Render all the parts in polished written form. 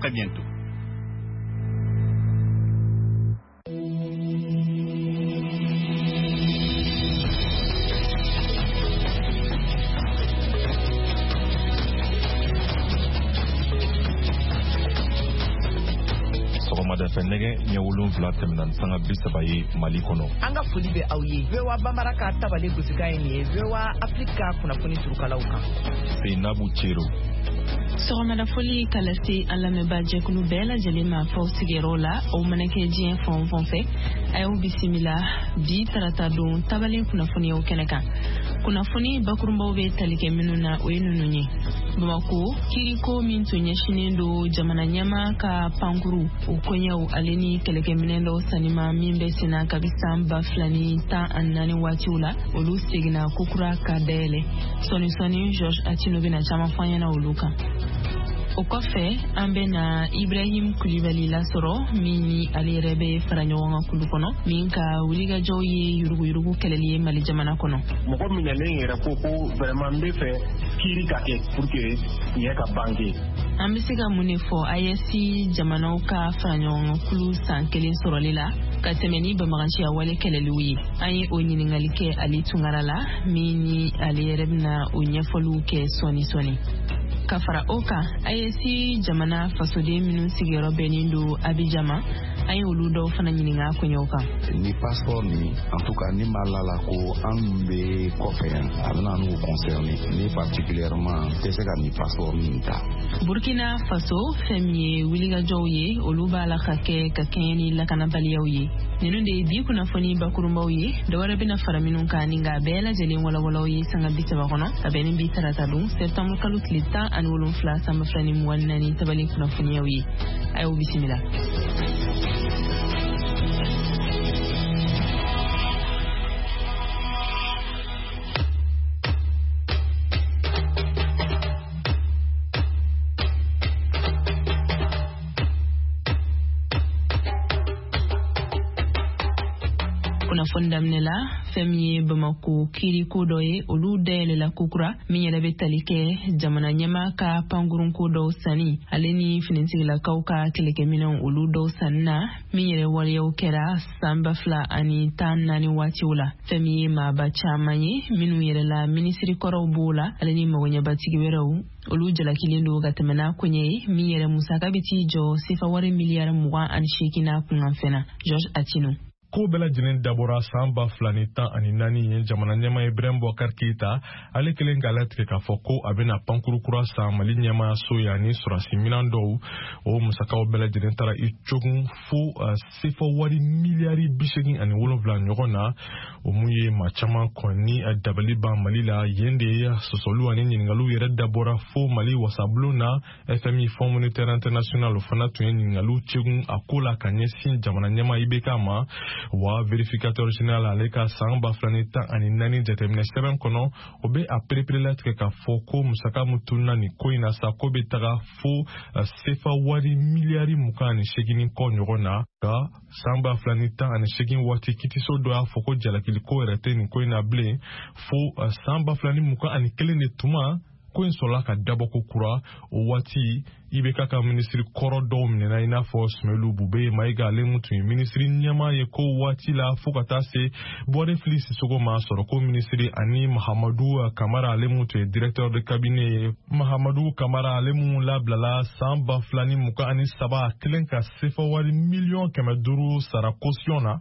Très bientôt. Sɔgɔmada fɛ, nɛgɛ ɲɛ 7 tɛmɛna ni sanga 30 ye Mali kɔnɔ. An ka foli bɛ aw ye. VOA Bambara ka tabale gosikan ye nin ye, VOA Afrique ka kunnafoni surukalaw kan. Seinabu Cero. Sɔgɔmada foli ka lase an lamɛnbaa jɛkulu bɛɛ lajɛlen ma f'aw sigiyɔrɔ la, aw mana kɛ diɲɛ fan o fan fɛ. A y'aw bisimila bi tarata don tabalen kunnafoniyaw kɛnɛ kan. Kunnafoni bakurunbaw bɛ tali kɛ minnu na, o ye ninnu ye: Bamako kiriko min tun ɲɛsinnen don jamana ɲɛmaa ka pankuru o koɲɛw ale ni kɛlɛkɛminɛn dɔw sanni ma min bɛ senna kabi san 2014 waatiw la, olu seginna kokura ka dayɛlɛ. Sɔɔni sɔɔni, Georges Attino bɛna caman fɔ an ɲɛna olu kan. O kɔfɛ, an bɛ na Ibrahim Kulibali lasɔrɔ, min ni ale yɛrɛ bɛ fara ɲɔgɔn kan kulu kɔnɔ min ka wulikajɔw ye yuruguyurugu kɛlɛli ye Mali jamana kɔnɔ. Mɔgɔ minɛlen yɛrɛ ko ko vraiment n bɛ fɛ kiiri ka kɛ pour que tiɲɛ ka bange. An bɛ se ka mun de fɔ AES jamanaw ka fara ɲɔgɔn kan kulu san kelen sɔrɔli la ka tɛmɛ ni banbaganciya wale kɛlɛliw ye? An ye o ɲininkali kɛ Ali Tunkara la, min ni ale yɛrɛ bɛna o ɲɛfɔliw kɛ sɔɔni sɔɔni. Ka fara o kan, AES jamana fasoden minnu sigiyɔrɔ bɛnnen don Abijan ma, an ye olu dɔw fana ɲininka koɲɛw kan. Ni passeport ni, en tout cas ni ma la la ko an bɛ kɔfɛ yan, a bɛna n'u concerner, ne particulièrement tɛ se ka nin passeport nin ta. Burkina Faso, fɛn min ye wulikajɔw ye, olu b'a la ka kɛ ka kɛɲɛ ni lakanabaliyaw ye. Ninnu de ye bi kunnafoni bakurunbaw ye. Dɔwɛrɛ bɛna fara minnu kan ni k'a bɛɛ lajɛlen walawalaw ye sanga 30 kɔnɔ, ka bɛn ni bi tarata don sɛptanburu kalo tile 17 san 2024 tabali kunnafoniyaw ye. A y'aw bisimila. Kunnafoni daminɛ la, fɛn min ye Bamako kiriko dɔ ye, olu dayɛlɛla kokura, min yɛrɛ bɛ tali kɛ jamana ɲɛmaa ka pankurunko dɔw sanni ale ni finitigilakaw ka kɛlɛkɛminɛnw olu dɔw sanni na, min yɛrɛ waleyaw kɛra san 2014 waatiw la. Fɛn min ye maaba caman ye, minnu yɛrɛ la minisiri kɔrɔw b'o la ale ni magoɲɛbatigi wɛrɛw, olu jalakilen don ka tɛmɛ n'a koɲɛ ye, min yɛrɛ musaka bɛ t'i jɔ sefa wari miliyari 28 n'a kunkanfɛn na. Georges Attino. Ko bɛɛ lajɛlen dabɔra san 2014 ye. Jamana ɲɛmaa Ibrahim Boubacar Keita, ale kelen k'a latigɛ k'a fɔ ko a bɛna pankuru kura san Mali ɲɛmaayaso ye ani sɔrɔsi minan dɔw. O musakaw bɛɛ lajɛlen taara i cogun fo sefa wari miliyari 87 ɲɔgɔn na. O mun ye maa caman kɔni dabali ban Mali la. Yen de ye sɔsɔliw ani ɲininkaliw yɛrɛ dabɔra fo Mali wasabulon na. FMI, Fonds monétaire international, o fana tun ye ɲininkaliw cegun a ko la ka ɲɛsin jamana ɲɛmaa IBK ma. Wa vérificateur général, ale ka san 2014 jateminɛ sɛbɛn kɔnɔ, o bɛ a pereperelatigɛ k'a fɔ ko musaka min tununa nin ko in na sa, ko bɛ taga fo sefa wari miliyari 28 ni kɔ ɲɔgɔn na. Nka san 2018 waati, kitiso dɔ y'a fɔ ko jalakiliko yɛrɛ tɛ nin ko in na bilen. Fo san 2021 de tuma, ko in sɔrɔla ka dabɔ ko kura. O waati, IBK ka minisiri kɔrɔ dɔw minɛna, i n'a fɔ Soumeylou Boubèye Maïga, ale mun tun ye minisiri ɲɛmaa ye ko waati la, fo ka taa se Bouaré Fily Sissoko ma, sɔrɔko minisiri, ani Mahamadou Kamara, ale mun tun ye directeur de cabinet ye. Mahamadou Kamara, ale mun labilala san 2023, kelen ka sefa wari miliyɔn 500 sara caution na.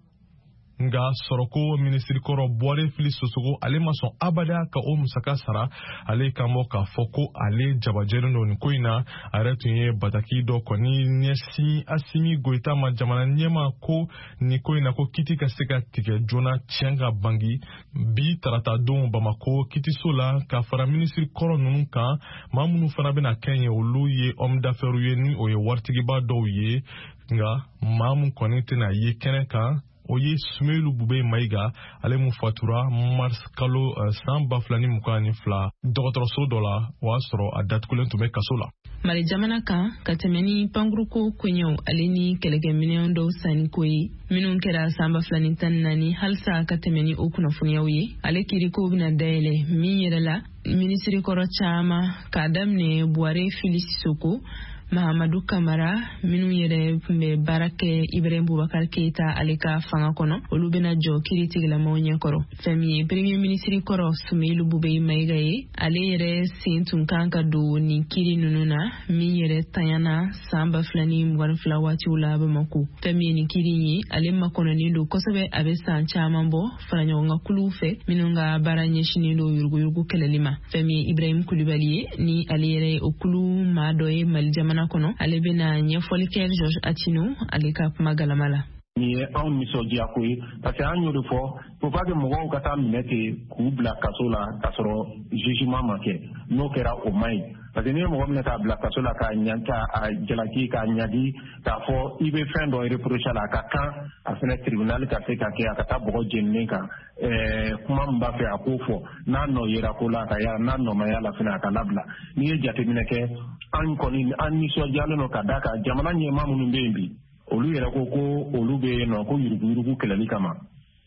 Nga sɔrɔko minisiri kɔrɔ Bouaré Fily Sissoko, ale ma sɔn abada ka o musaka sara. Ale kan bɔ k'a fɔ ko ale jabajɛlen don nin ko in na. A yɛrɛ tun ye bataki dɔ kɔni ɲɛsin Assimi Goïta ma, jamana ɲɛma, ko nin ko in na, ko kiti ka se ka tigɛ joona, tiɲɛ ka bangi. Bi tarata don, Bamako kitiso la, ka fara minisiri kɔrɔ ninnu kan, maa minnu fana bɛna kɛ yen, olu ye homme d'affaires ye, ni o ye waritigiba dɔw ye. Nka maa mun kɔni tɛna ye kɛnɛ kan, o ye Soumeylou Boubèye Maïga, ale mun fatura mars kalo san 2022 dɔgɔtɔrɔso dɔ la. O y'a sɔrɔ a datugulen tun bɛ kaso la. Mali jamana kan, ka tɛmɛ ni pankuruko koɲɛw ale ni kɛlɛkɛminɛn dɔw sanniko ye minnu kɛra san 2014, halisa ka tɛmɛ ni o kunnafoniyaw ye, ale kiriko bɛna dayɛlɛ, min yɛrɛ la minisiri kɔrɔ caman, k'a daminɛ Bouaré Fily Sissoko. Mahamadu Kamara minnu yɛrɛ tun bɛ baara kɛ Ibrahim Boubacar Keita ale ka fanga kɔnɔ, olu bɛna jɔ kiri tigilamaw ɲɛkɔrɔ. Fɛn min ye premier ministre kɔrɔ Soumeylou Boubèye Maïga ye, ale yɛrɛ sen tun kan ka don nin kiri ninnu na, min yɛrɛ tanyana san 2022 waatiw la Bamako. Fɛn min ye nin kiri ye, ale makɔnɔnen don kosɛbɛ, a bɛ san caman bɔ faraɲɔgɔnkan kuluw fɛ minnu ka baara ɲɛsinnen don yuruguyurugu kɛlɛli ma. Fɛn min ye Ibrahim Kulibali ye, ni ale yɛrɛ ye o kulu maa dɔ ye Mali jamana kɔnɔ, ale bɛna ɲɛfɔli kɛ Georges Attino ale ka kuma galama la. Nin ye anw nisɔndiya ko ye, parce que an y'o de fɔ, faut pas que mɔgɔw ka taa minɛ ten k'u bila kaso la k'a sɔrɔ jugement ma kɛ. N'o kɛra, o man ɲi, parce que n'i ye mɔgɔ minɛ k'a bila kaso la, k'a ɲa, k'a jalaki, k'a ɲagi, k'a fɔ i bɛ fɛn dɔ reprocher la, a ka kan a fɛnɛ tribunal ka se ka kɛ, a ka taa bɔgɔ jeninen kan, kuma min b'a fɛ a k'o fɔ. N'a nɔ yera ko la, a ka ya, n'a nɔ ma y'a la fɛnɛ, a ka labila. N'i ye jateminɛ kɛ, an kɔni an nisɔndiyalen don ka d'a kan jamana ɲɛmaa minnu bɛ yen bi, olu yɛrɛ ko ko olu bɛ yen nɔ ko yuruguyurugu kɛlɛli kama.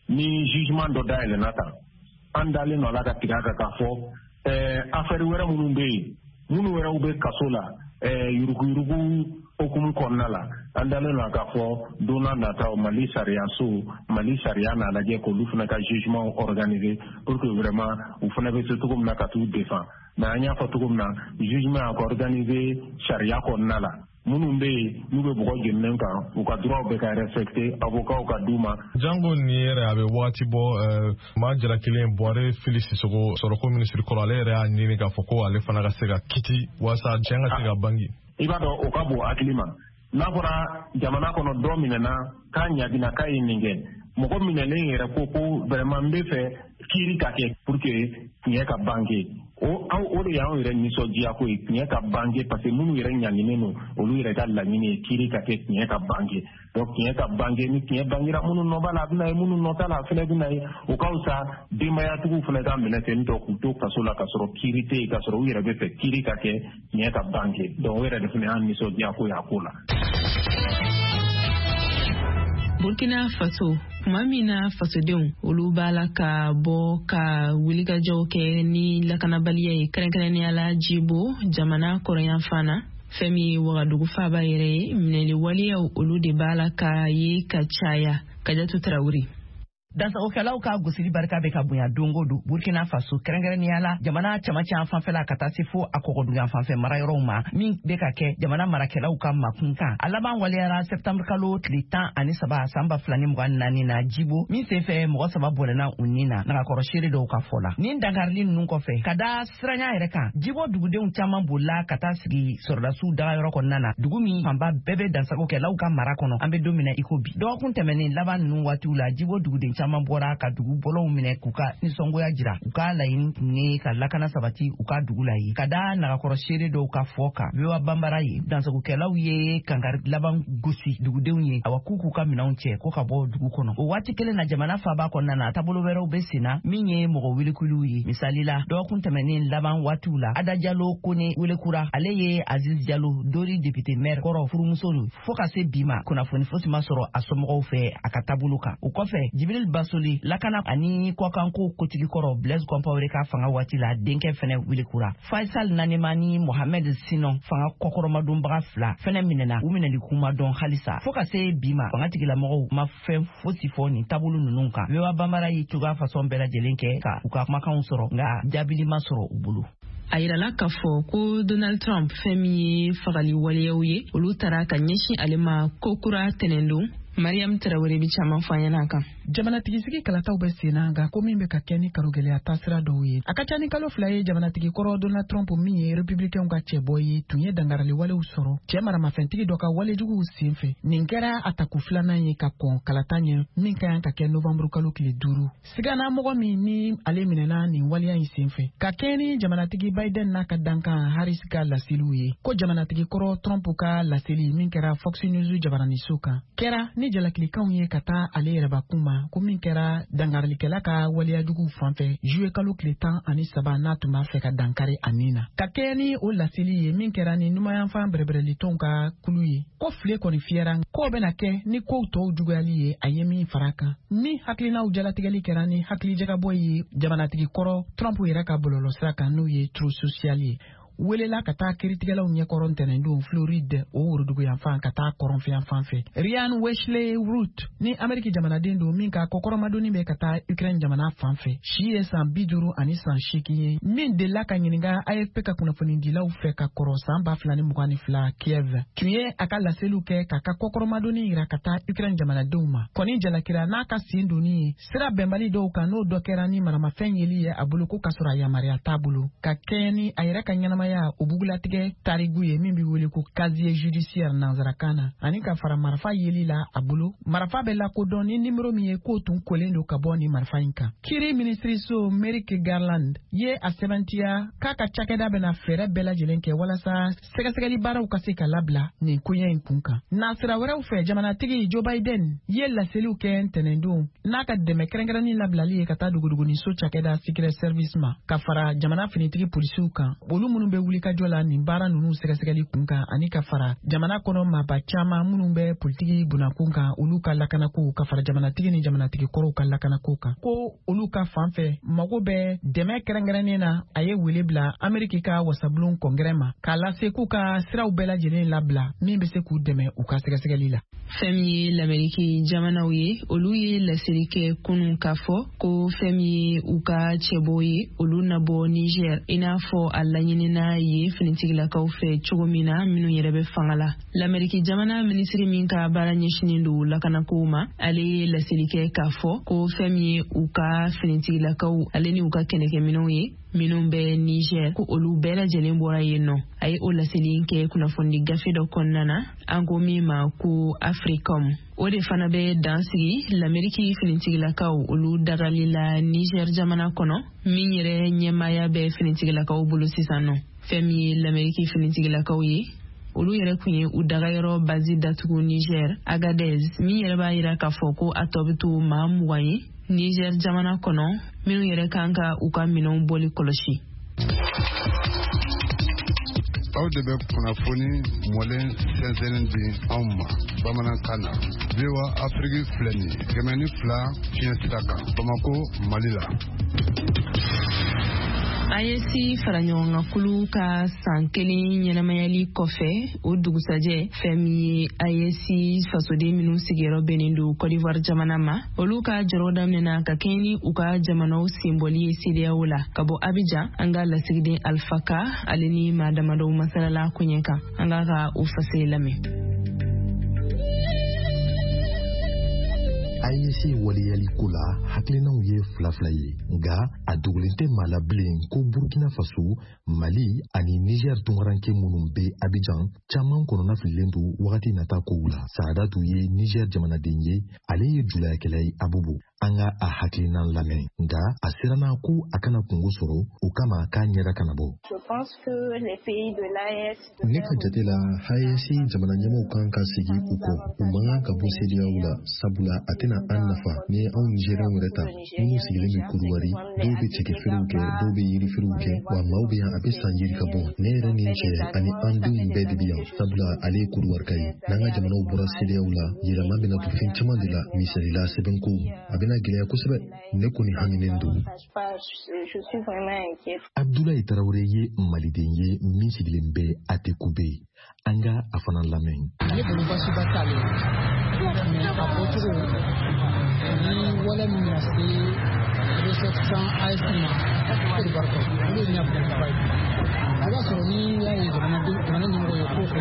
Ni jugement dɔ dayɛlɛnna tan, an dalen don a la ka tigɛ a kan k'a fɔ affaire wɛrɛ minnu bɛ yen, minnu wɛrɛw bɛ kaso la yuruguyurugu hukumu kɔnɔna la, an dalen don k'a fɔ don n'a nataw, Mali sariya so, Mali sariya n'a lajɛ k'olu fana ka jugement organiser pour que vraiment u fana bɛ se cogo min na ka t'u défend. Mais an y'a fɔ cogo min na, jugement a ka organiser sariya kɔnɔna la, minnu bɛ yen n'u bɛ bɔgɔ jeninen kan, u ka droit bɛ ka respecter, avocat ka d'u ma. Jango nin yɛrɛ, a bɛ wagati bɔ, maa jalakilen Buware Fili Sisoko, sɔrɔko minisiri kɔrɔ, ale yɛrɛ y'a ɲini k'a fɔ ko ale fana ka se ka kiti walasa tiɲɛ ka se ka bangi. I b'a dɔn, o ka bon hakili ma. N'a fɔra jamana kɔnɔ dɔ minɛna k'a ɲagina k'a ye nin kɛ, mɔgɔ minɛlen yɛrɛ ko ko vraiment n bɛ fɛ kiiri ka kɛ pour que tiɲɛ ka bange, o de y'anw yɛrɛ nisɔndiya ko ye, tiɲɛ ka bange, parce que minnu yɛrɛ ɲanginen don, olu yɛrɛ ka laɲini ye kiiri ka kɛ, tiɲɛ ka bange. Donc tiɲɛ ka bange, ni tiɲɛ bangera, minnu nɔ b'a la, a bɛna ye, minnu nɔ t'a la, a fana bɛna ye. O ka fisa denbayatigiw fana ka minɛ ten tɔ k'u to kaso la k'a sɔrɔ kiiri tɛ yen, k'a sɔrɔ u yɛrɛ bɛ fɛ kiiri ka kɛ, tiɲɛ ka bange. Donc o yɛrɛ de fana y'an nisɔndiya ko ye a ko la. Burkina Faso, tuma min na fasodenw olu b'a la ka bɔ ka wulikajɔw kɛ ni lakanabaliya ye, kɛrɛnkɛrɛnnenya la Jibo, jamana kɔrɔyanfan na, fɛn min ye Wagadugu faaba yɛrɛ ye, minɛli waleyaw olu de b'a la ka ye ka caya. Kajatu Tarawele. Dansagokɛlaw ka gosili barika bɛ ka bonya don o don Burkina Faso, kɛrɛnkɛrɛnnenya la jamana camancɛ fanfɛla ka taa se fo a kɔgɔduguyan fanfɛ marayɔrɔw ma, min bɛ ka kɛ jamana marakɛlaw ka makun kan. A laban waleyara sɛptanburu kalo tile 13 san 2024 na Jibo, min senfɛ mɔgɔ saba bɔnɛna u ni na, nagakɔrɔ seere dɔw ka fɔ la. Nin dankarili ninnu kɔfɛ, ka da siranya yɛrɛ kan, Jibo dugudenw caman bolila ka taa sigi sɔrɔdasiw dagayɔrɔ kɔnɔna na, dugu min fanba bɛɛ bɛ dansagokɛlaw ka mara kɔnɔ an bɛ don min na i ko bi. Dɔgɔkun tɛmɛnen laban ninnu waatiw la, Jibo duguden caman bɔra ka dugu bɔlɔw minɛ k'u ka nisɔngoya jira. U ka laɲini tun ye ka lakana sabati u ka dugu la ye. Ka da nagakɔrɔ seere dɔw ka fɔ kan VOA Banbara ye, dansagokɛlaw ye kankari laban gosi dugudenw ye, awa, k'u k'u ka minɛnw cɛ ko ka bɔ dugu kɔnɔ. O waati kelen na, jamana faaba kɔnɔna na, taabolo wɛrɛw bɛ sen na min ye mɔgɔ welekuliw ye. Misali la, dɔgɔkun tɛmɛnen laban waatiw la, Ada Jalo Kone welekura, ale ye Aziz Jalo Dori député maire kɔrɔ furumuso don. Fo ka se bi ma, kunnafoni fosi ma sɔrɔ a somɔgɔw fɛ a ka taabolo kan. O kɔfɛ, Jibril Basoli, lakana ani kɔkanko kotigi kɔrɔ Blaise Compaoré ka fanga waati la, denkɛ fɛnɛ welekura. Faisal Nanema ni Mohamed Sinon, fanga kɔkɔrɔmadonbaga fila fɛnɛ minɛna, u minɛli kuma dɔn halisa. Fo ka se bi ma, fanga tigilamɔgɔw ma fɛn fosi fɔ nin taabolo ninnu kan. VOA Banbara ye cogoya fasɔn bɛɛ lajɛlen kɛ ka u ka kumakanw sɔrɔ, nka jaabili ma sɔrɔ u bolo. A yirala k'a fɔ ko Donald Trump, fɛn min ye fagali waleyaw ye, olu taara ka ɲɛsin ale ma kokura tɛnɛndon. Mariam Tarawele bi caman fɔ an ɲɛna kan. Jamanatigisigi kalataw bɛ sen na, nka ko min bɛ ka kɛ ni karogɛlɛya taasira dɔw ye, a ka ca ni kalo 2 ye, jamanatigi kɔrɔ Donald Trump, min ye Republicainw ka cɛbɔ ye, tun ye dangarali walew sɔrɔ cɛɛ maramafɛntigi dɔ ka walejuguw sen fɛ. Nin kɛra a tako filanan ye ka kɔn kalata ɲɛ min ka kan ka kɛ novanburu kalo tile 5. Sigana mɔgɔ min ni ale minɛna nin waleya in sen fɛ, ka kɛɲɛ ni jamanatigi Biden n'a ka dankan Harris ka laseliw ye, ko jamanatigi kɔrɔ Trump ka laseli min kɛra Fox News jabaraniso kan kɛra ni jalakilikanw ye ka taa ale yɛrɛbakun ma, ko min kɛra dangarilikɛla ka waleyajuguw fan fɛ juye kalo tile 13, n'a tun b'a fɛ ka dankari a nin na. Ka kɛɲɛ ni o laseli ye min kɛra ni numayanfan bɛrɛbɛrɛlitɔnw ka kulu ye, ko file kɔni fiyɛra k'o bɛna kɛ ni kow tɔw juguyali ye. A ye min fara kan, min hakilinaw jalatigɛli kɛra ni hakilijagabɔ ye jamanatigi kɔrɔ Trump yɛrɛ ka bɔlɔlɔsira kan, n'o ye Truth Social ye. welela ka taa kiiritigɛlaw ɲɛkɔrɔ ntɛnɛndon Floride o woroduguyanfan ka taa kɔrɔnfɛyanfan fɛ. Ryan Wesley Routh ni Ameriki jamanaden don min ka kɔkɔrɔmadonni bɛ ka taa Ukraine jamana fan fɛ, si ye san 58 ye, min delila ka ɲininka AFP ka kunnafonidilaw fɛ ka kɔrɔ san 2022 Kiev, tun ye a ka laseliw kɛ k'a ka kɔkɔrɔmadonni yira ka taa Ukraine jamanadenw ma. Kɔni jalakira n'a ka sen donni ye sira bɛnbali dɔw kan, n'o dɔ kɛra ni maramafɛn yeli ye a bolo ko k'a sɔrɔ a yamaruya t'a bolo, ka kɛɲɛ ni a yɛrɛ ka ɲɛnamaya o bugulatigɛ tarigu ye min bɛ wele ko casier judiciaire nansarakan na, ani ka fara marifa yeli la a bolo. Marifa bɛ lakodɔn ni nimero min ye k'o tun kolen don ka bɔ nin marifa in kan. Kiri minisiriso Merrick Garland ye a sɛbɛntiya k'a ka cakɛda bɛna fɛɛrɛ bɛɛ lajɛlen kɛ walasa sɛgɛsɛgɛli baaraw ka se ka labila nin koɲɛ in kun kan. Nasira wɛrɛw fɛ, jamanatigi Joe Biden ye laseliw kɛ ntɛnɛndon n'a ka dɛmɛ kɛrɛnkɛrɛnnin labilali ye ka taa dogodogoniso cakɛda Secret Service ma, ka fara jamana finitigi polisiw kan, olu minnu bɛ wulikajɔ la nin baara ninnu sɛgɛsɛgɛli kun kan, ani ka fara jamana kɔnɔ maaba caman minnu bɛ politiki bunakun kan olu ka lakanako, ka fara jamanatigi ni jamanatigi kɔrɔw ka lakanako kan, ko olu ka fan fɛ mago bɛ dɛmɛ kɛrɛnkɛrɛnnen na. A ye wele bila Ameriki ka wasabulon kɔngɛrɛ ma k'a lase k'u ka siraw bɛɛ lajɛlen labila min bɛ se k'u dɛmɛ u ka sɛgɛsɛgɛli la. Fɛn min ye Lameriki jamanaw ye, olu ye laseli kɛ kunun k'a fɔ ko fɛn min ye u ka cɛbɔw ye, olu na bɔ Niger i n'a fɔ a laɲinina ye finitigilakaw fɛ cogo min na minnu yɛrɛ bɛ fanga la. Lameriki jamana minisiri min ka baara ɲɛsinin don lakanakow ma, ale ye laseli kɛ k'a fɔ ko fɛn min ye u ka finitigilakaw ale ni u ka kɛlɛkɛminɛnw ye minnu bɛ Niger, ko olu bɛɛ lajɛlen bɔra yen nɔ. A ye o laseli kɛ kunnafonidi gafe dɔ kɔnɔna na an ko min ma ko Africom. O de fana bɛ dan sigi Lameriki finitigilakaw olu dagali la Niger jamana kɔnɔ, min yɛrɛ ɲɛmaaya bɛ finitigilakaw bolo sisan nɔ. Fɛn min ye Lameriki finitigilakaw ye, olu yɛrɛ kun ye u dagayɔrɔ bazi datugu Niger Agadez, min yɛrɛ b'a yira k'a fɔ ko a tɔ bɛ to maa 20 ye Niger jamana kɔnɔ minnu yɛrɛ kan ka u ka minɛnw bɔli kɔlɔsi. Aw de bɛ kunnafoni mɔlen sɛnsɛnnen di anw ma bamanankan na. VOA Afrique filɛ nin ye 102 fiɲɛ sira kan Bamako, Mali la. AES faraɲɔgɔnkankulu ka san kelen ɲɛnamayali kɔfɛ, o dugusajɛ, fɛn min ye AES fasoden minnu sigiyɔrɔ bɛnnen don Côte d'Ivoire jamana ma, olu ka jɔrɔ daminɛna ka kɛɲɛ ni u ka jamanaw senbɔli ye CEDEAO la. Ka bɔ Abidjan, an ka lasigiden Alpha Ka ale ni maa damadɔw masalala koɲɛ kan, an k'a ka o fasiri lamɛn. AES waleyali ko la, hakilinaw ye fila fila ye, nka a dogolen tɛ maa la bilen ko Burkina Faso, Mali ani Niger tunkaranke minnu bɛ Abidjan caman kɔnɔna fililen don wagati nata kow la. Saadatu ye Niger jamanaden ye, ale ye julayakɛla ye Abobo. An ka a hakilinan lamɛn, nka a siranna ko a kana kungo sɔrɔ, o kama k'a ɲɛda kana bɔ. Ne ka jate la, AES jamana ɲɛmɔgɔw kan ka segin u kɔ. U man kan ka bɔ CEDEAO la, sabula a tɛna an nafa. Ni ye anw Nigériens yɛrɛ ta, minnu sigilen bɛ Kodowari, dɔw bɛ cɛkɛfeerew kɛ, dɔw bɛ yirifeerew kɛ, wa maaw bɛ yan a bɛ san yiri ka bɔ. Ne yɛrɛ ni n cɛ ani an denw bɛɛ de bɛ yan, sabula ale ye Kodowari ye. N'an ka jamanaw bɔra CEDEAO la, yɛlɛma bɛna don fɛn caman de la, misali la sɛbɛnko a bɛna gɛlɛya kosɛbɛ. Ne kɔni haminen don. Abdoulaye Traoré ye maliden ye min sigilen bɛ Atekube. An ka a fana lamɛn. Ne bolo baasiba t'ale la, mais a bɔcogo ni wale min bɛna se ressortissant AES ma Côte d'Ivoire kɔnɔ, olu ye ɲɛbilaba ye. I b'a sɔrɔ ni y'a ye jamana ɲɛmɔgɔ ye ko o ko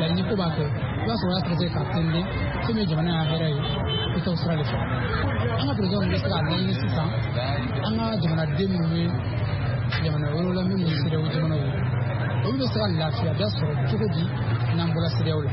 laɲini ko b'a kɛ, i b'a sɔrɔ o y'a sɛgɛsɛgɛ k'a tɛnten fɛn min ye jamana y'a hɛrɛ ye, i t'o sira de fɛ. An ka président bɛ se k'a laɲini sisan, an ka jamanaden minnu bɛ jamana wɛrɛw la minnu ye CEDEAO jamanaw ye, olu bɛ se ka lafiya da sɔrɔ cogo di n'an bɔra CEDEAO la.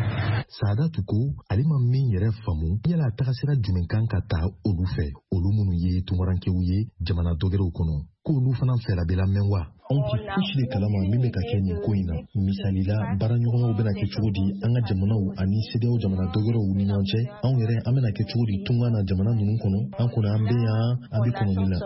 Saadatu ko ale ma min yɛrɛ faamu, yala tagasira jumɛn kan ka ta olu fɛ, olu minnu ye tunkarankew ye jamana dɔgɛrɛw kɔnɔ, k'olu fana fɛla bɛ lamɛn wa? Anw tɛ fosi de kalama min bɛ ka kɛ nin ko in na. Misali la, baaraɲɔgɔnyaw bɛna kɛ cogo di an ka jamanaw ani CEDEAO jamana dɔgɛrɛw ni ɲɔgɔn cɛ? Anw yɛrɛ an bɛna kɛ cogo di tunga na jamana ninnu kɔnɔ? An kɔni an bɛ yan, an bɛ kɔnɔni la.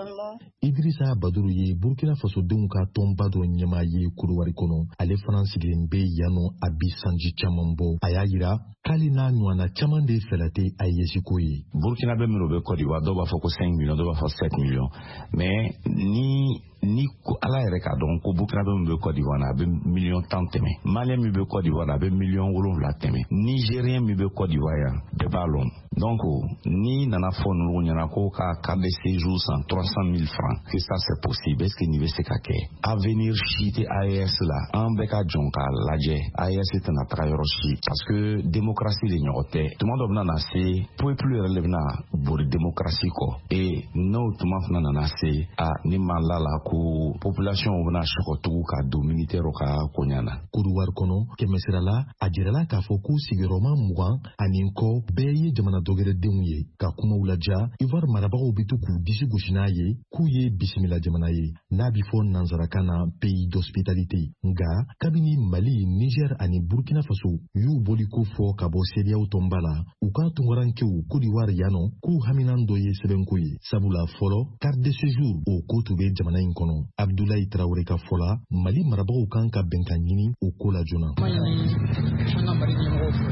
Idrissa Baduru ye Burkina Fasodenw ka tɔnba dɔ ɲɛmaa ye Kodowari kɔnɔ. Ale fana sigilen bɛ yan nɔ a bi sanji caman bɔ. A y'a yira k'ale n'a ɲɔgɔnna caman de fɛla tɛ AES ko ye. Burkina bɛ minnu bɛ Côte d'Ivoire, dɔw b'a fɔ ko 5 millions, dɔw b'a fɔ 7 millions, mais ni Ni ala yɛrɛ k'a dɔn ko Burkinabé min bɛ Côte d'Ivoire a bɛ 10 millions tɛmɛ, Malien min bɛ Côte d'Ivoire a bɛ 7 millions tɛmɛ, Nigérien min bɛ Côte d'Ivoire yan, bɛɛ b'a lɔn. Donc ni nana fɔ ninnu ɲɛna ko ka carte de séjour san 300 000 francs, que ça c'est possible, est ce que nin bɛ se ka kɛ? Avenir si tɛ AES la. An bɛɛ ka jɔn k'a lajɛ, AES tɛna taga yɔrɔ si, parce que démocratie de ɲɔgɔn tɛ. Tuma dɔ bɛna na se, peuple yɛrɛ de bɛna bori démocratie kɔ, et n'o tuma fana nana se, a ni ma la la ko population bɛna sɔgɔtugu ka don militaire ka koɲa na. Kodiwari kɔnɔ, kɛmɛsira la, a jirala k'a fɔ ko sigiyɔrɔma 20 ani kɔ bɛɛ ye jamana dɔgɛrɛdenw ye. Ka kumaw laja, Ivoire marabagaw bɛ to k'u disi gosi n'a ye k'u ye bisimila jamana ye, n'a bɛ fɔ nansarakan na pays d'hospitalité. Nga kabini Mali, Niger ani Burkina Faso y'u boliko fɔ ka bɔ CEDEAO tɔnba la, u ka tunkarankew Kodiwari yan nɔ k'u haminan dɔ ye sɛbɛnko ye, sabula fɔlɔ carte de séjour o ko tun bɛ jamana in kɔnɔ. Abdulayi Tarawele ka fɔ la, Mali marabagaw kan ka bɛnkan ɲini o ko la joona. An ka Mali ɲɛmɔgɔw fɛ,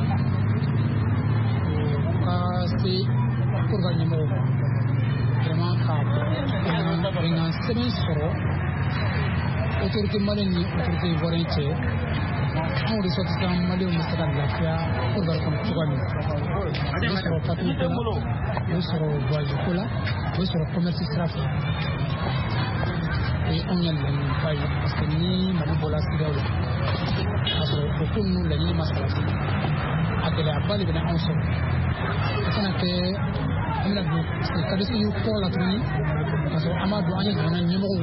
u ka se Kodiwari ɲɛmɔgɔw ma, vraiment ka bɛnkan sɛbɛn sɔrɔ autorité malienne ni autorité ivoirienne cɛ, anw ressortissants malienw bɛ se ka lafiya Kodiwari kɔnɔ cogoya min na. O bɛ sɔrɔ papier ko la, o bɛ sɔrɔ voyage ko la, o bɛ sɔrɔ commerce sira fɛ. O ye anw ka laɲiniba ye, parce que ni Mali bɔra CEDEAO la k'a sɔrɔ o ko ninnu laɲini ma sabati, a gɛlɛyaba de bɛna anw sɔrɔ. O kana kɛ an bɛna don carte de séjour kɔrɔ la tuguni, k'a sɔrɔ an b'a dɔn an ye jamana ɲɛmɔgɔw,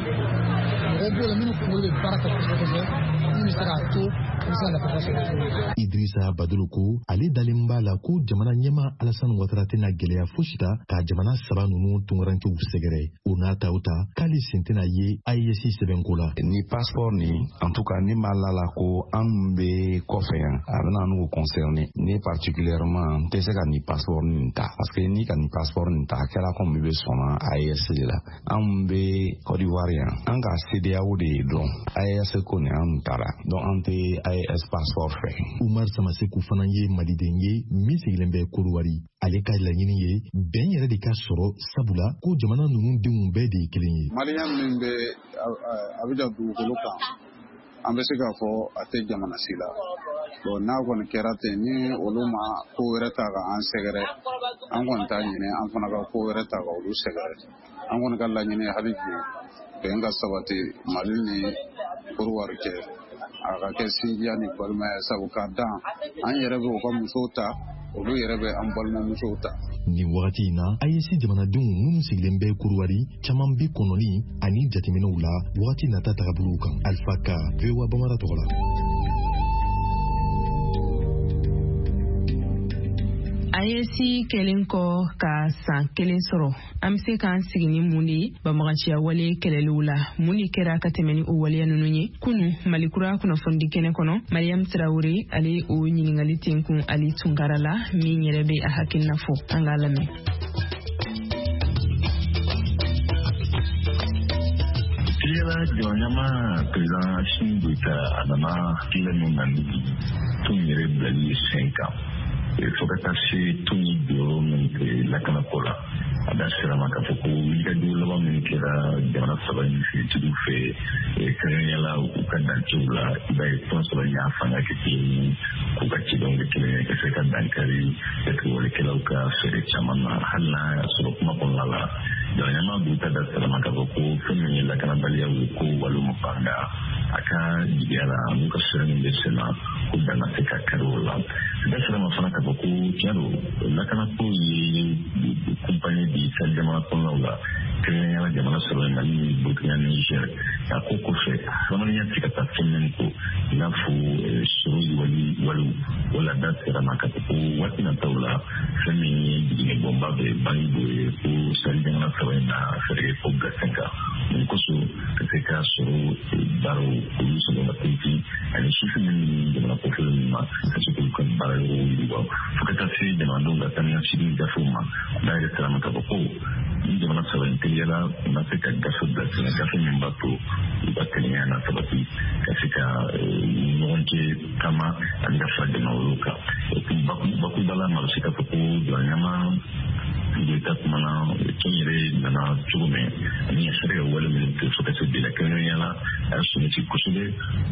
mɔgɔw b'o la minnu kunkolo bɛ baara kɛ kosɛbɛ kosɛbɛ, minnu bɛ se k'a to an bɛ se ka lafiya sɔrɔ cogo min. Idrissa Badolo ko ale dalen b'a la ko jamana ɲɛma Alassane Ouattara tɛna gɛlɛya fosi ta ka jamana saba ninnu tunkarankew sɛgɛrɛ. O n'a ta o ta, k'ale sen tɛna ye AES sɛbɛnko la. Ni passeport ni, en tout cas ni ma la la ko an bɛ kɔfɛ yan, a bɛna n'u concerné. Ne particulièrement, n tɛ se ka nin passeport nin ta, parce que ni ka nin passeport nin ta, a kɛra komi i bɛ sɔnna AES de la. An bɛ Côte d'Ivoire yan, an ka CEDEAO de dɔn, AES ko nin an taara, donc an tɛ AES passeport fɛ. Umar Samaseku fana ye maliden ye min sigilen bɛ Kodowari. Ale ka laɲini ye bɛn yɛrɛ de ka sɔrɔ, sabula ko jamana ninnu denw bɛɛ de ye kelen ye. Malien min bɛ Abijan dugukolo kan, an bɛ se k'a fɔ a tɛ jamana si la. Bon, n'a kɔni kɛra ten, ni olu ma ko wɛrɛ ta ka an sɛgɛrɛ, an kɔni t'a ɲini an fana ka ko wɛrɛ ta ka olu sɛgɛrɛ. An kɔni ka laɲini hali bi, bɛn ka sabati Mali ni Kodiwari cɛ, a ka kɛ sinjiya ni balimaya, sabu k'a dan an yɛrɛ bɛ u ka musow ta, olu yɛrɛ bɛ an balimamusow ta. Nin wagati in na, AES jamanadenw minnu sigilen bɛ Kodowari caman bɛ kɔnɔni ani jateminɛw la wagati nata tagabolow kan. Alpha Ka, VOA Bamara tɔgɔ la. AES kɛlen kɔ ka san kelen sɔrɔ, an bɛ se k'an sigi ni mun de ye banbaganciya wale kɛlɛliw la? Mun de kɛra ka tɛmɛ ni o waleya ninnu ye? Kunu Malikura kunnafonidi kɛnɛ kɔnɔ, Mariam Tarawele, ale o ɲininkali tenkun Ali Tunkara la, min yɛrɛ bɛ a hakilina fɔ. An k'a lamɛn. Yala jamana président Assimi Goïta, a nana hakilina min na ni tɔn yɛrɛ bilali sen kan, fo ka taa se tɔn ye jɔyɔrɔ min kɛ lakanako la, a da sera ma k'a fɔ ko wulikajɔ laban min kɛra jamana saba in finitigiw fɛ, kɛrɛnkɛrɛnnenya la u ka dancɛw la, i b'a ye tɔn saba in y'a fanga kɛ kelen ye, k'u ka cidenw kɛ kelen ye, ka se ka dankari jatigɛwalekɛlaw ka fɛɛrɛ caman na. Hali n'a y'a sɔrɔ kuma kɔnɔna la, jamana ɲɛmaa Goïta da sera ma k'a fɔ ko fɛn min ye lakanabaliyaw ye, ko walima nka a ka jigiya la, n'u ka sira min bɛ sen na, ko dan ka se ka kari o la. Da sera ma fana k'a fɔ ko tiɲɛ don, lakanako ye kunpanye di ka jamana kɔnɔnaw la, kɛrɛnkɛrɛnnenya la jamana sɔrɔ ye Mali ni Burukina ni Niger. A ko kɔfɛ, hadamadenya tɛ ka taa fɛn min kɔ, i n'a fɔ sɔrɔ yiriwali walew wala. Da sera ma k'a fɔ ko waati nataw la, fɛn min ye jiginɛ bɔnba bɛ bangi dɔ ye, ko sahel jamana saba in na fɛɛrɛ kɛ ko bila sen kan nin kosɔn, ka se ka sɔrɔ baaraw olu sɔrɔ ka tintin, ani sifin min ni jamana kɔfɛlen ninnu ma, ka se k'olu ka baara yɔrɔw yiriwa, fo ka taa se jamanadenw ka taa ni ka segin gafew ma. N'a yɛrɛ sera ma k'a fɔ ko ni jamana saba in teliyala, u na se ka gafe bila sen kan, gafe min b'a to u ka kelenya na sabati, ka se ka ɲɔgɔn cɛ taama ani ka fara jamana wɛrɛw kan. Bakuruba la, ma bɛ se k'a fɔ ko jamana ɲɛmaa Goïta kumana tɔn yɛrɛ nana cogo min ani a sera ka wale minnu kɛ fo ka se bi la, kɛrɛnkɛrɛnnenya la a y'a sɔmisi kosɛbɛ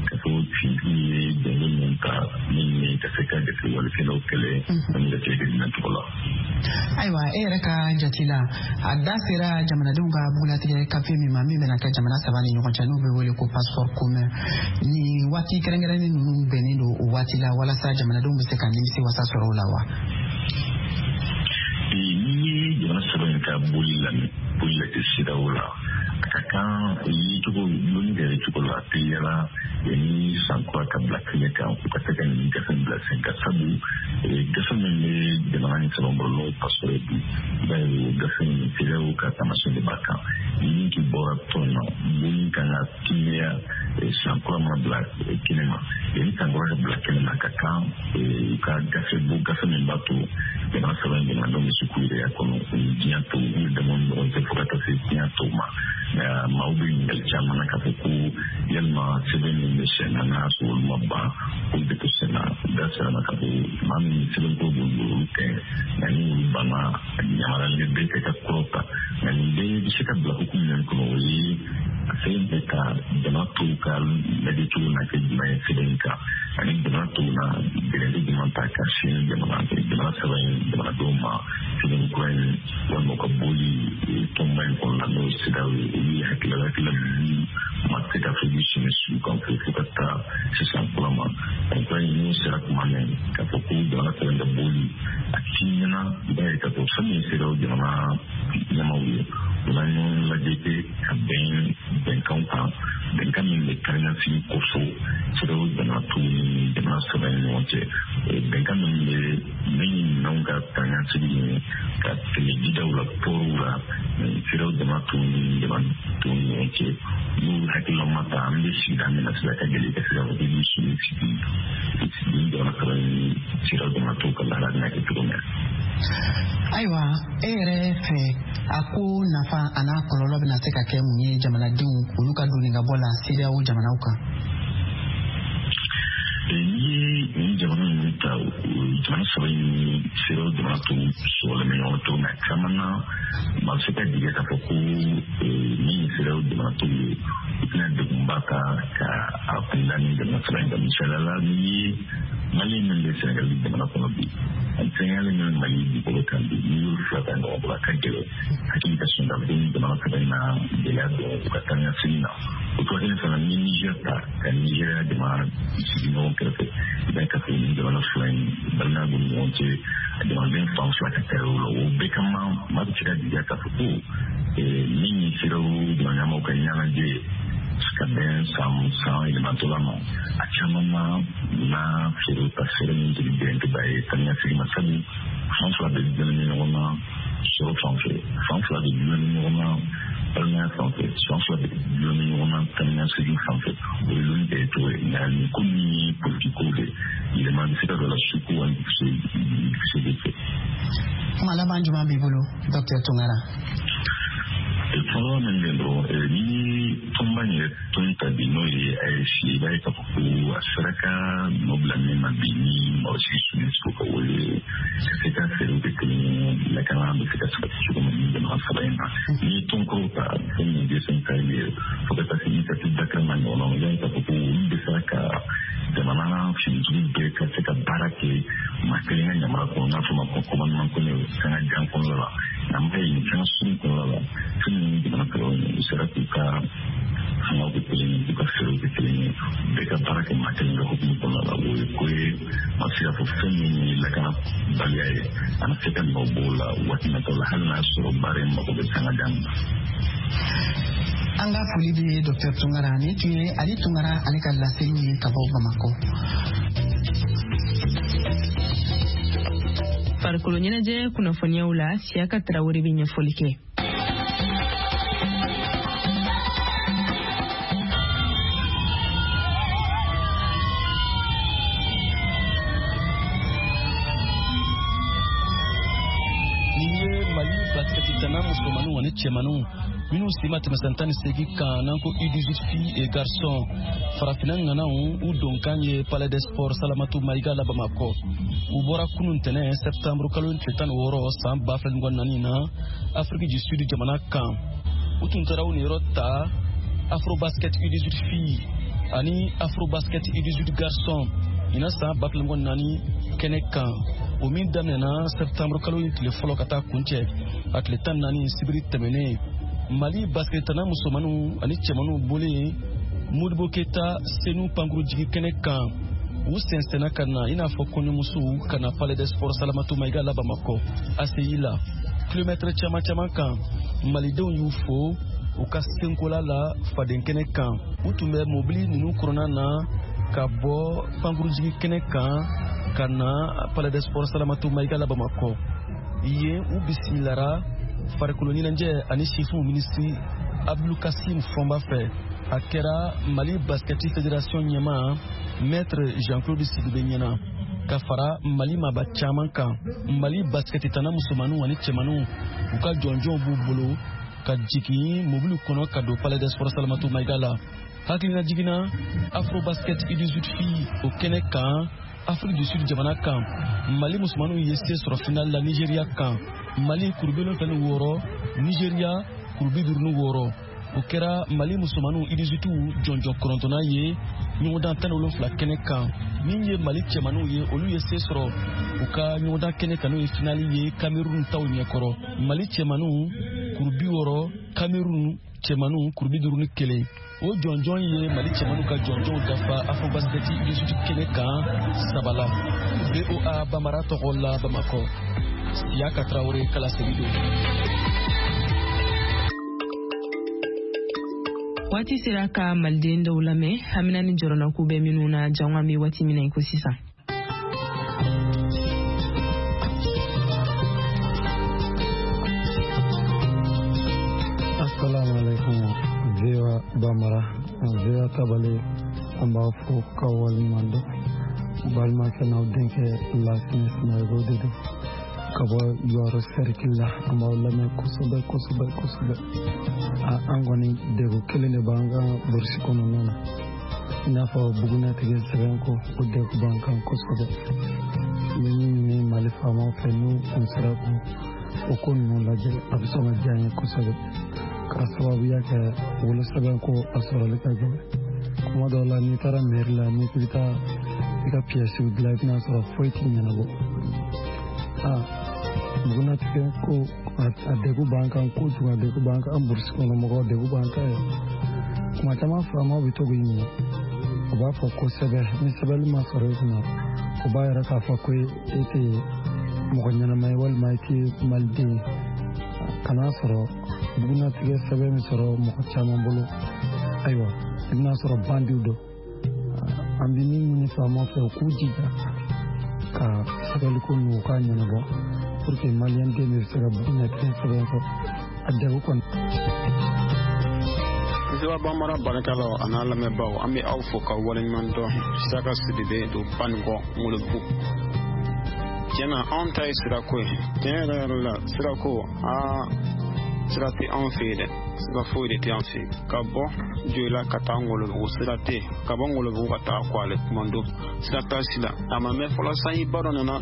ka fɔ finitigiw ye dɛmɛ minnu ta min ye ka se ka jatigɛwalekɛlaw kɛlɛ ani ka se ka minɛ cogo la. Ayiwa, e yɛrɛ ka jate la, a da sera jamanadenw ka bugulatigɛ gafe min ma, min bɛna kɛ jamana saba ni ɲɔgɔn cɛ, n'o bɛ wele ko passeport commun, ni waati kɛrɛnkɛrɛnnen ninnu bɛnnen don o waati la walasa jamanadenw bɛ se ka nimisi wasa sɔrɔ o la wa? N'i ye jamana saba in ka boli lamɛn, boli lajɛ CEDEAO la, a ka kan yecogo loni ka yecogo la teliyala ni san kura ka bila kɛnɛ kan, u ka se ka nin gafe bila sen kan, sabu gafe min bɛ jamana ni saba bolo, n'o ye passeport ye bi, i b'a ye o gafe in CEDEAO ka taamasiyɛn de b'a kan. Ni k'i bɔra tɔn na, boli kan ka timiya san kura mana bila kɛnɛ ma. Ni san kura ka bila kɛnɛ ma, a ka kan u ka gafe bɔ, gafe min b'a to jamana saba in jamanadenw bɛ se k'u yɛrɛ y'a kɔnɔ u ni diɲɛ tɔw, u damaw ni ɲɔgɔn cɛ, fo ka taa se diɲɛ tɔw ma. Nka maaw bɛ ɲininkali caman na k'a fɔ ko yalima sɛbɛn min bɛ sen na, n'a y'a sɔrɔ olu ma ban, olu bɛ to sen na. Da sera ma k'a fɔ maa min sɛbɛn ko b'olu bolo, olu tɛ, nka ni olu banna, yamaruyalen bɛ bɛɛ kɛ ka kuraw ta. Nka nin bɛɛ bɛ se ka bila hukumu min kɔnɔ, o ye a sɛbɛn bɛ ka jamana tɔw ka lajɛ cogo na kɛ jumɛn ye sɛbɛn in kan, ani jamana tɔw na gɛlɛya jumɛn ta ka sin jamana saba in jamanadenw ma sɛbɛn kura in, walima u ka boli tɔnba in kɔnɔna, n'o ye CEDEAO ye. Olu ye hakilila minnu ma se ka fɔ k'u sɛmɛ su kan fo ka taa sisan kura ma. Kura in n'o sera kuma min k'a fɔ ko jamana saba in ka boli a tiɲɛna, i b'a ye k'a fɔ fɛn min ye CEDEAO jamana ɲɛmaaw ye, u na ɲɔgɔn lajɛ kɛ ka bɛn bɛnkanw kan, bɛnkan min bɛ kariɲasigi kofɔ CEDEAO jamana tɔw ni jamana saba in ɲɔgɔn cɛ, bɛnkan min bɛ min minɛnw ka kariɲasigi ye ka tɛmɛ jidaw la, pɔriw la, CEDEAO jamana tɔw ni jamana tɔw ni ɲɔgɔn cɛ. N'u hakilila ma ta, an bɛ sigida min na sisan, ka gɛlɛn ka se ka fɔ k'i b'i sigi ni jamana saba in CEDEAO jamana tɔw ka lahala bɛna kɛ cogo min na. Ayiwa, e yɛrɛ fɛ, a ko nafa a n'a kɔlɔlɔ bɛna se ka kɛ mun ye jamanadenw olu ka donni ka bɔ la CEDEAO jamanaw kan? N'i ye nin jamana ninnu ta, jamana saba in ni CEDEAO jamana tɔw sɔgɔlen bɛ ɲɔgɔn cogo min na, caman na maa bɛ se ka jigin k'a fɔ ko min ye CEDEAO jamana tɔw ye, u tɛna degunba ta ka a kunda ni jamana saba in kan. Misaliya la, n'i ye Mali min bɛ Senegali jamana kɔnɔ bi, ani Senegali min bɛ Mali dugukolo kan bi, n'i y'olu fila ta ɲɔgɔn bolo, a ka gɛlɛn hakili ka sɔn ka fɔ ni jamana saba in na gɛlɛya don u ka taa ni ka segin na. O cogo kelen fana, ni Niger ta ka Nigéria jamana sigi ɲɔgɔn kɛrɛfɛ, i b'a ye k'a fɔ ni jamana fila in balimaya b'u ni ɲɔgɔn cɛ, a jamanaden fan fila ka taa yɔrɔ la. O bɛɛ kama, maa bɛ se ka jigiya k'a fɔ ko min ye CEDEAO jamana ɲɛmaaw ka ɲɛnajɛ ye ka bɛn san yɛlɛmatɔla ma, a caman na na feere ka feere min tɛ bɛn ye taa ni ka segin ma, sabu fan fila bɛ dulon ɲɔgɔn na sɔrɔ fan fɛ, fan fila bɛ dulon ɲɔgɔn na balimaya fan fɛ, fan fila bɛ dulon ɲɔgɔn na taa ni ka segin fan fɛ. O ye loni kɛ cogo ye. Nka nin ko min ye politiki ko de yɛlɛma bɛ se ka don a la su ko wali dugusɛ de fɛ. Kuma laban jumɛn b'i bolo, Docteur Tunkara? Fɔlɔ min bɛ dɔrɔn, ni tɔnba in yɛrɛ tɔn ta bi, n'o ye AES ye, i b'a ye k'a fɔ ko a sera ka nɔ bila min ma bi, ni mɔgɔ si UNESCO ka wele ka se ka fɛɛrɛw kɛ kelen ye, lakana bɛ se ka sabati cogo min ni jamana saba in na. N'i ye tɔn kɔrɔw ta, fɛn min ye G5 Sahel ye, fo ka taa se initiative d'Accra ma ɲɔgɔn na, i b'a ye k'a fɔ ko olu bɛ sera ka jamana finitigiw bɛɛ ka se ka baara kɛ maa kelen ka yamaruya kɔnɔ, n'a fɔ ma ko commandement commun, sanga jan kɔnɔna la. Nka an b'a ye nin sanga surun kɔnɔna la, fɛn min ye jamana saba in ye, u sera k'u ka fangaw kɛ kelen ye, k'u ka fɛɛrɛw kɛ kelen ye, bɛɛ ka baara kɛ maa kelen ka hukumu kɔnɔna la. O ye ko ye, maa bɛ se k'a fɔ fɛn min ye lakanabaliya ye, a na se ka nɔ bɔ o la waati nataw la, hali n'a y'a sɔrɔ baara in mako bɛ sanga jan na. An ka foli bɛ ye Dr Tunkara. Nin tun ye Ali Tunkara ale ka laseli ye ka bɔ Bamakɔ. Farikolo ɲɛnajɛ kunnafoniyaw la, Siyaka Tarawele bɛ ɲɛfɔli kɛ. Nin ye Mali basikɛti Basikɛtitana musomaninw ani cɛmaninw minnu si ma tɛmɛ san 18 kan, n'an ko U18 filles et garçons, farafinna ŋanaw, u donkan ye Palais des Sports Salamatu Mayiga la Bamakɔ. U bɔra kunun tɛnɛ, septembre kalo tile 16, san 2024 na, Afrique du Sud jamana kan. U tun taara u niyɔrɔ ta Afrobasket U18 filles ani Afrobasket U18 garçons ɲinan san 2024 kɛnɛ kan, o min daminɛna septembre kalo in tile fɔlɔ ka taa kuncɛ a tile 14, sibiri tɛmɛnen. Mali basikɛtana musomaninw ani cɛmaninw bɔlen Modibo Keta Senu pankurujigi kɛnɛ kan, u sɛnsɛnna ka na i n'a fɔ kɔɲɔmusow, ka na Palais des Sports Salamatu Mayiga la Bamakɔ ACI la. Kilomɛtɛrɛ caman caman kan, malidenw y'u fo u ka senkola la faden kɛnɛ kan. U tun bɛ mobili ninnu kɔnɔna na ka bɔ pankurujigi kɛnɛ kan ka na Palais des Sports Salamatu Mayiga la Bamakɔ. Yen, u bisimilara farikolo ɲɛnajɛ ani sifinw minisiri Abdulkasim Fɔnba fɛ. A kɛra Mali Basketi Fédération ɲɛmaa Maître Jean Claude Sidibe ɲɛna, ka fara Mali maaba caman kan. Mali basikɛtitana musomaninw ani cɛmaninw, u ka jɔnjɔnw b'u bolo ka jigin mobili kɔnɔ ka don Palais des Sports Salamatu Mayiga la. Hakilina jiginna Afrobasket U18 filles o kɛnɛ kan, Afrique du Sud jamana kan, Mali musomaninw ye se sɔrɔ final la Nigeria kan, Mali kuru 76, Nigeria kuru 56. O kɛra Mali musomaninw U18 jɔnjɔn kɔnɔntɔnnan ye ɲɔgɔndan 17 kɛnɛ kan. Min ye Mali cɛmaninw ye, olu ye se sɔrɔ u ka ɲɔgɔndan kɛnɛ kan, n'o ye finali ye, Cameroun taw ɲɛkɔrɔ. Mali cɛmaninw kuru 60, Cameroun cɛmaninw kuru 51. O jɔnjɔn ye Mali cɛmaninw ka jɔnjɔnw dafa Afrobasket U18 kɛnɛ kan saba la. VOA Bambara tɔgɔ la Bamakɔ, Siyaka Tarawele ka laseli don. Waati sera ka maliden dɔw lamɛn, hamina ni jɔrɔnako bɛ minnu na, jango an bɛ waati min na i ko sisan. Assalamu alaikum, VOA Bambara, VOA Tabale, an b'a fo ka waleɲuman dɔn. Balimakɛ n'aw denkɛ Lasinɛ Sinayigo de don ka bɔ Yɔrɔ sɛrikili la. An b'aw lamɛn kosɛbɛ kosɛbɛ kosɛbɛ. An kɔni, degun kelen de b'an kan burusi kɔnɔna na, i n'a fɔ bugunatigɛ sɛbɛn ko, o degun b'an kan kosɛbɛ. N bɛ min ɲini Mali faamaw fɛ, n'u kun sera k'u o ko ninnu lajɛ, a bɛ sɔn ka diya n ye kosɛbɛ, k'a sababuya kɛ wolosɛbɛn ko a sɔrɔli ka gɛlɛn. Kuma dɔw la, n'i taara mairie la, n'i k'i bɛ taa i ka piyɛsiw dilan, i bɛna sɔrɔ foyi t'i ɲɛnabɔ. Aa, bugunatigɛ ko, a degun b'an kan kojugu, a degun b'an kan. An burusi kɔnɔ mɔgɔw, degun b'an kan yɛrɛ. Kuma caman, faamaw bɛ to k'i ɲininka, u b'a fɔ ko sɛbɛn. Ni sɛbɛnni ma sɔrɔ i kunna, o b'a yira k'a fɔ ko e tɛ mɔgɔ ɲɛnama ye walima i tɛ maliden ye. Kan'a sɔrɔ bugunatigɛ sɛbɛn bɛ sɔrɔ mɔgɔ caman bolo, ayiwa, i bɛna sɔrɔ bandiw don. An bɛ min ɲini faamaw fɛ, u k'u jija ka sɛbɛnliko ninnu, u k'a ɲɛnabɔ pour que maliyɛn den bɛ se ka bugunatigɛ sɛbɛn sɔrɔ. A degun kɔni. VOA Bambara baarakɛlaw a n'a lamɛnbaaw, an bɛ aw fo ka waleɲuman dɔn. Saka Sidibe don Banikɔ Ŋolobugu. Tiɲɛna, anw ta ye sirako ye. Tiɲɛ yɛrɛ yɛrɛ la, sirako, aa, sira tɛ anw fɛ yen dɛ, sira foyi de tɛ an fɛ yen. Ka bɔ Joyila ka taa Ŋolobugu, sira tɛ yen. Ka bɔ Ŋolobugu ka taa Kwale Kumando, sira t'a si la. A ma mɛn fɔlɔ, sanjiba dɔ nana,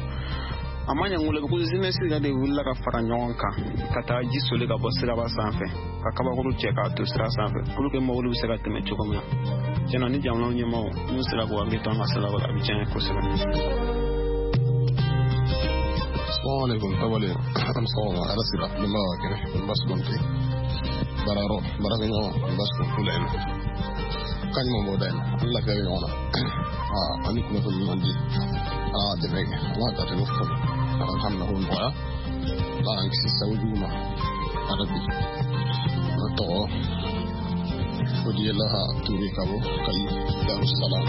a ma ɲɛ, Ŋolobugu jeunesse yɛrɛ de wulila ka fara ɲɔgɔn kan ka taa ji soli ka bɔ siraba sanfɛ, ka kabakuru cɛ k'a to sira sanfɛ pour que mobili bɛ se ka tɛmɛ cogo min na. Tiɲɛna, ni jamana ɲɛmaaw n'u sera k'u hakili to an ka siraba la, a bɛ diya n ye kosɛbɛ. Assalamu alaikum tabale, an sɔgɔma, ala sira denbaya ka kɛnɛ, baasi kɔni tɛ baarayɔrɔ, baarakɛɲɔgɔn baasi kɔni t'u la yen nɔ, kan ɲuman b'o da yen nɔ, an lafiya bɛ ɲɔgɔn na. Ani kunnafoni ɲuman di, ala ka dɛmɛ kɛ, ala ka tɛmɛ fɔ, ala ka hamina ko nɔgɔya, ala k'an kisi sago jugu ma arabi. Ne tɔgɔ Fodiyelaha Ture ka bɔ Kayi Darussalam.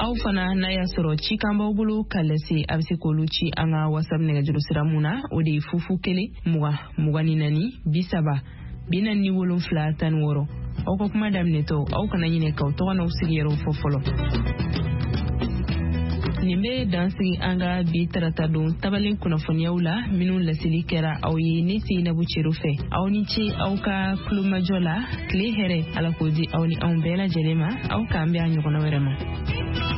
Aw fana, n'a y'a sɔrɔ cikan b'aw bolo ka lase, a bɛ se k'olu ci an ka WhatsApp nɛgɛjuru sira mun na, o de ye 0 0 1 20 24 30 47 16. Aw ka kuma daminɛtɔ, aw kana ɲinɛ k'aw tɔgɔ n'aw sigiyɔrɔw fɔ fɔlɔ. Nin bɛ dan sigi an ka bi taratadon tabalen kunnafoniyaw la, minnu laseli kɛra aw ye ne Seyinabu Cero fɛ. Aw ni ce aw ka tulomajɔ la. Tile hɛrɛ, Ala k'o di aw ni anw bɛɛ lajɛlen ma. Aw k'an bɛn a ɲɔgɔnna wɛrɛ ma.